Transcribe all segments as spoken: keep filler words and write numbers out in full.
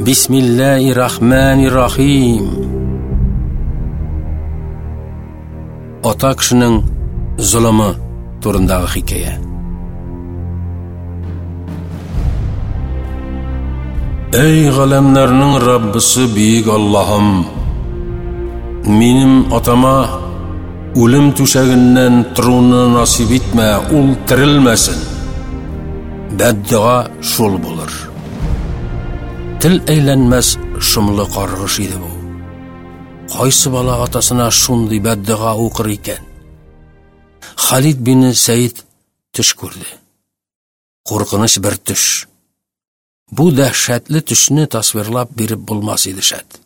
Бисмиллаһир-рахманир-рахим. Ата кешенең золымы турындагы хикәя. Эй галәмнәрнең Раббысы бөек Аллаһым, минем атама үлем түшәгеннән торуны насип итмә, ул терелмәсен. Бәддуа шул булыр. Тел әйләнмәс шомлы каргыш иде бу. Кайсы бала атасына шундый бәддуа укыр икән? Халид бин Сәид төш күрде. Куркыныч бер төш. Бу дәһшәтле төшне тасвирлап биреп булмас иде шәт.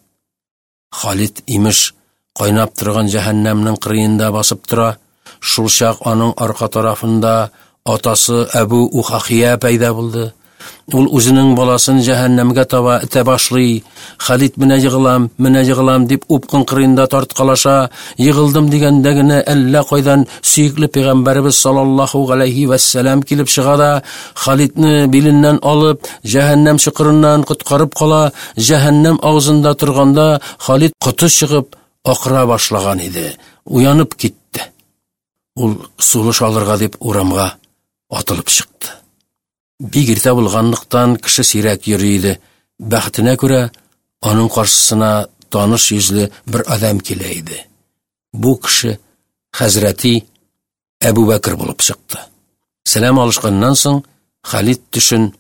Халид имеш кайнап торган җәһәннәмнең кырыенда басып тора, шул чак аның арка тарафында атасы Әбу Ухахия пәйда булды. Ул үзенең баласын җәһәннәмгә таба этә башлый. Халид менә егылам, менә егылам дип упкын кырыенда тарткалаша. Егылдым дигәндә генә әллә кайдан сөекле пәйгамбәребез саллаллаһу галәйһи вәссәлам килеп чыга да Халидны биленнән алып җәһәннәм чокырыннан коткарып кала. Җәһәннәм авызында торганда Халид коты чыгып акыра башлаган иде. Уянып китте. Ул сулыш алырга дип урамга атылып чыкты. Бик иртә булганлыктан кеше сирәк йөри иде. Бәхетенә күрә, аның каршысына таныш йөзле бер адәм килә иде. Бу кеше хәзрәти Әбу Бәкер булып чыкты. Сәлам алышканнан соң Халид төшен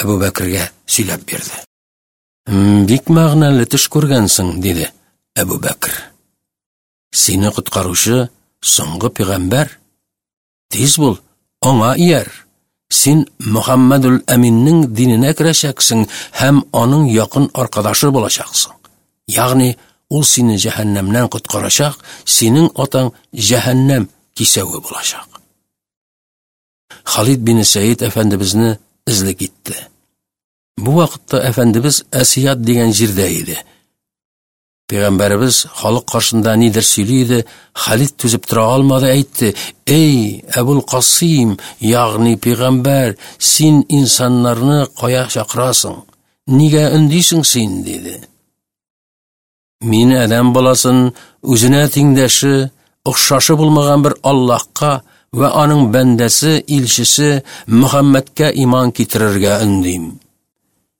Әбу Бәкергә сөйләп бирде. Бик мәгънәле төш күргәнсең, диде Әбу Бәкер. Сине коткаручы соңгы пәйгамбәр. Тиз бул, аңа ияр. Син Мөхәммәдул Әминнең диненә керәчәксең һәм аның якын аркадашы булачаксың. Ягъни ул сине җәһәннәмнән коткарачак, синең атаң җәһәннәм кисәве булачак. Халид бин Сәид әфәндебезне эзли китте. Бу вакытта әфәндебез Әсият дигән җирдә иде. Пәйгамбәребез халык каршында нидер сөйли иде, Халид түзеп тора алмады, әйтте: "Эй, Әбул Касыйм, ягъни пәйгамбәр, син инсаннарны кая чакырасың? Нигә өндисең син?" диде. Мин адәм баласын үзенә тиңдәше, охшашы булмаган бер Аллаһка вә аның бәндәсе, илчесе Мөхәммәдкә иман китерергә өндим.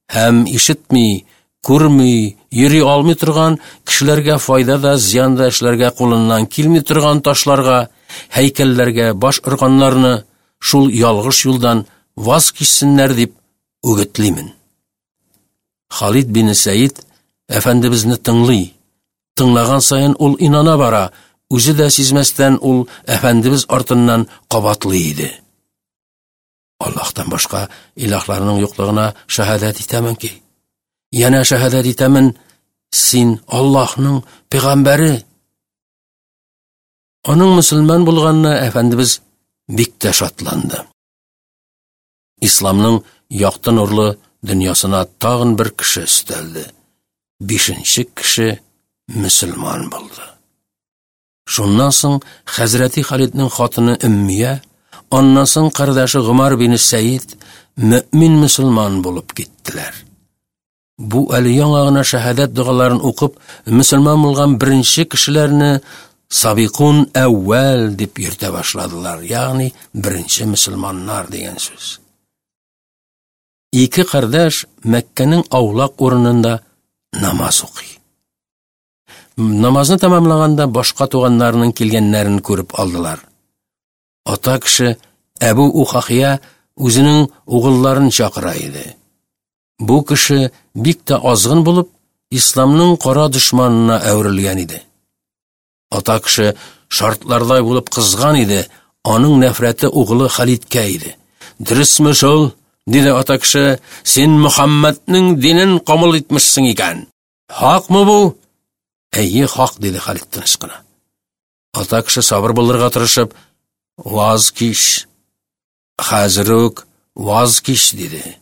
Һәм ишетми, күрми, йөри алмый торган кешеләргә файда да, зыян да эшләргә кулыннан килми торган ташларга, һәйкәлләргә баш органнарны шул ялгыш юлдан ваз кичсеннәр дип үгетлимен. Халид бин Сәид әфәндебезне тыңлый. Тыңлаган саен ул инана бара, үзе дә сизмәстән ул әфәндебез артыннан кабатлый иде. Аллаһтан башка илаһларның юклыгына шаһадәт итәмен ки, янә шаһадәт итәмен, син Аллаһның пәйгамбәре. Аның мөселман булганына әфәндебез бик тә шатланды. Исламның якты нурлы дөньясына тагын бер кеше өстәлде. Бишенче кеше мөселман булды. Шуннан соң хәзрәти Халидның хатыны Өммия, аннан соң кардәше Гомар бин Сәид мөмин мөселман булып киттеләр. Бу әле яңа гына шаһадәт догаларын укып, мөселман булган беренче кешеләрне Сабикун әүвәл дип йөртә башладылар, ягъни беренче мөселманнар дигән сүз. Ике кардәш Мәккәнең аулак урынында намаз укый. Намазны тәмамлаганда башка туганнарының килгәннәрен күреп алдылар. Ата кеше Әбу Ухахия үзенең угылларын чакыра иде. Бу кеше бик тә азгын булып, исламның кара дошманына әверелгән иде. Ата кеше шартлардай булып кызган иде, аның нәфрәте угылы Халидкә иде. Дөресме шул? Диде ата кеше, син Мөхәммәднең динен кабул итмешсең икән. Хакмы бу? Әйе, хак, диде Халид тыныч кына. Ата кеше сабыр булырга тырышып, ваз кич. Хәзер үк ваз кич, диде.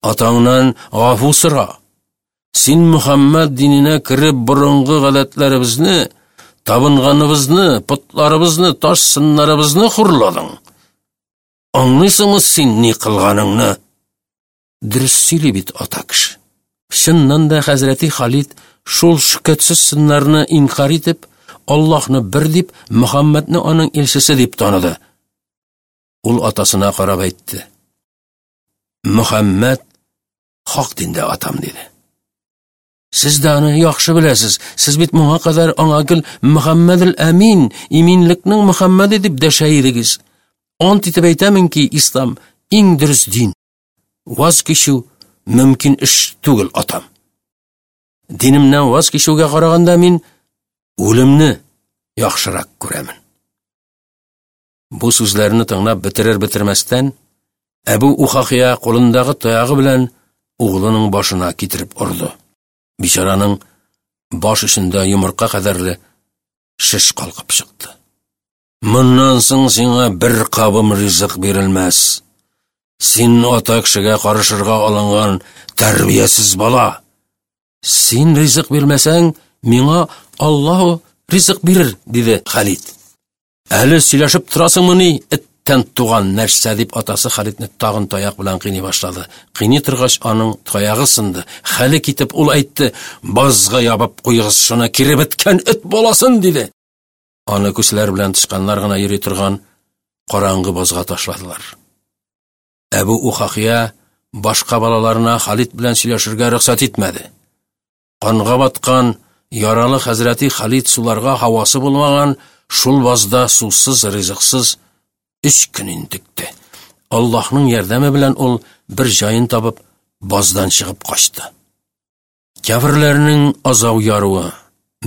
Атаңнан гафу сора. Син Мөхәммәд диненә кереп борынгы гадәтләребезне, табынганыбызны, потларыбызны, таш сыннарыбызны хурладың. Аңлыйсыңмы син ни кылганыңны? Дөрес сөйли бит ата кеше. Чыннан да хәзрәти Халид шул шөкәтсез сыннарны инкар итеп, Аллаһны бер дип, Мөхәммәдне аның илчесе дип таныды. Ул атасына карап әйтте: "Мөхәммәд хак диндә, атам", диде. Сез дә аны яхшы беләсез. Сез бит моңа кадәр аңа гел Мөхәммәдел Әмин, иминлекнең Мөхәммәде дип дәшә идегез. Ант итеп әйтәмен ки, ислам иң дөрес дин. Ваз кичү мөмкин эш түгел, атам. Динемнән ваз кичүгә караганда мин үлемне яхшырак күрәмен. Бу сүзләрне тыңлап бетерер бетермәстән, Әбу Ухахия кулындагы таягы белән углының башына китереп орды. Бичараның баш эчендә йомырка кадәрле шеш калкып чыкты. Моннан соң сиңа бер кабым ризык бирелмәс. Син ата кешегә карышырга алынган тәрбиясез бала. Син ризык бирмәсәң, миңа Аллаһу ризык бирер, диде Халид. Әле сөйләшеп торасыңмыни, эттән туган нәрсә, дип атасы Халидне тагын таяк белән кыйный башлады. Кыйный торгач, аның таягы сынды. Хәле китеп ул әйтте: "Базга ябып куйгыз шуны, кире беткән эт баласын", диде. Аны күселәр белән тычканнар гына йөри торган караңгы базга ташладылар. Әбу Ухахия башка балаларына Халид белән сөйләшергә рөхсәт итмәде. Канга баткан яралы хәзрәти Халид суларга һавасы булмаган шул базда сусыз, ризыксыз өч көн интекте. Аллаһның ярдәме белән ул бер җаен табып баздан чыгып качты. Кяферләрнең азау яруы,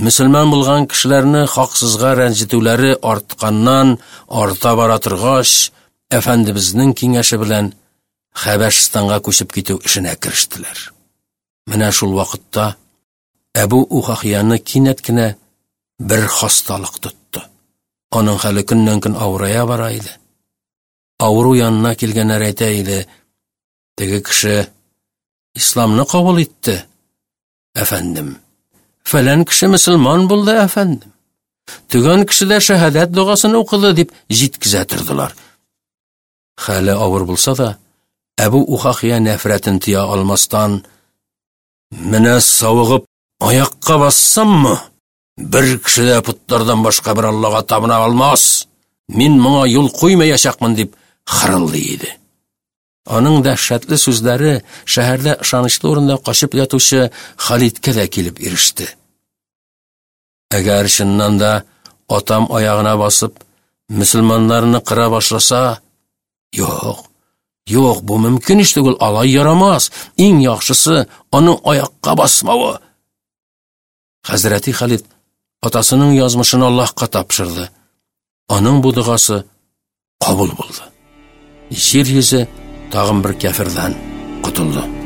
мөселман булган кешеләрне хаксызга рәнҗетүләре артканнан арта бара торгач, әфәндебезнең киңәше белән Хәбәшстанга күчеп китү эшенә керештеләр. Менә шул вакытта Әбу Ухахияны кинәт кенә бер хасталык тотты. Аның хәле көннән-көн авырая бара иде. Авыру янына килгәннәр әйтә иде: "Теге кеше исламны кабул итте, әфәндем. Фәлән кеше мөселман булды, әфәндем. Төгән кеше дә шәһадәт догасын укыды", дип җиткезә тордылар. Хәле авыр булса да, Әбу Ухахия нәфрәтен тыя алмастан: "Менә савыгып аякка бассаммы, бер кеше дә путлардан башка бер Аллага табына алмас. Мин моңа юл куймаячакмын", дип хырылдый иде. Аның дәһшәтле сүзләре шәһәрдә ышанычлы урында качып ятучы Халидкә дә килеп иреште. Әгәр чыннан да атам аягына басып, мөселманнарны кыра башласа, юк, юк, бу мөмкин эш түгел, алай ярамас. Иң яхшысы аның аякка басмавы. Хәзрәти Халид атасының язмышын Аллаһка тапшырды. Аның бу догасы кабул булды. Җир йөзе тагын бер кяфердән котылды.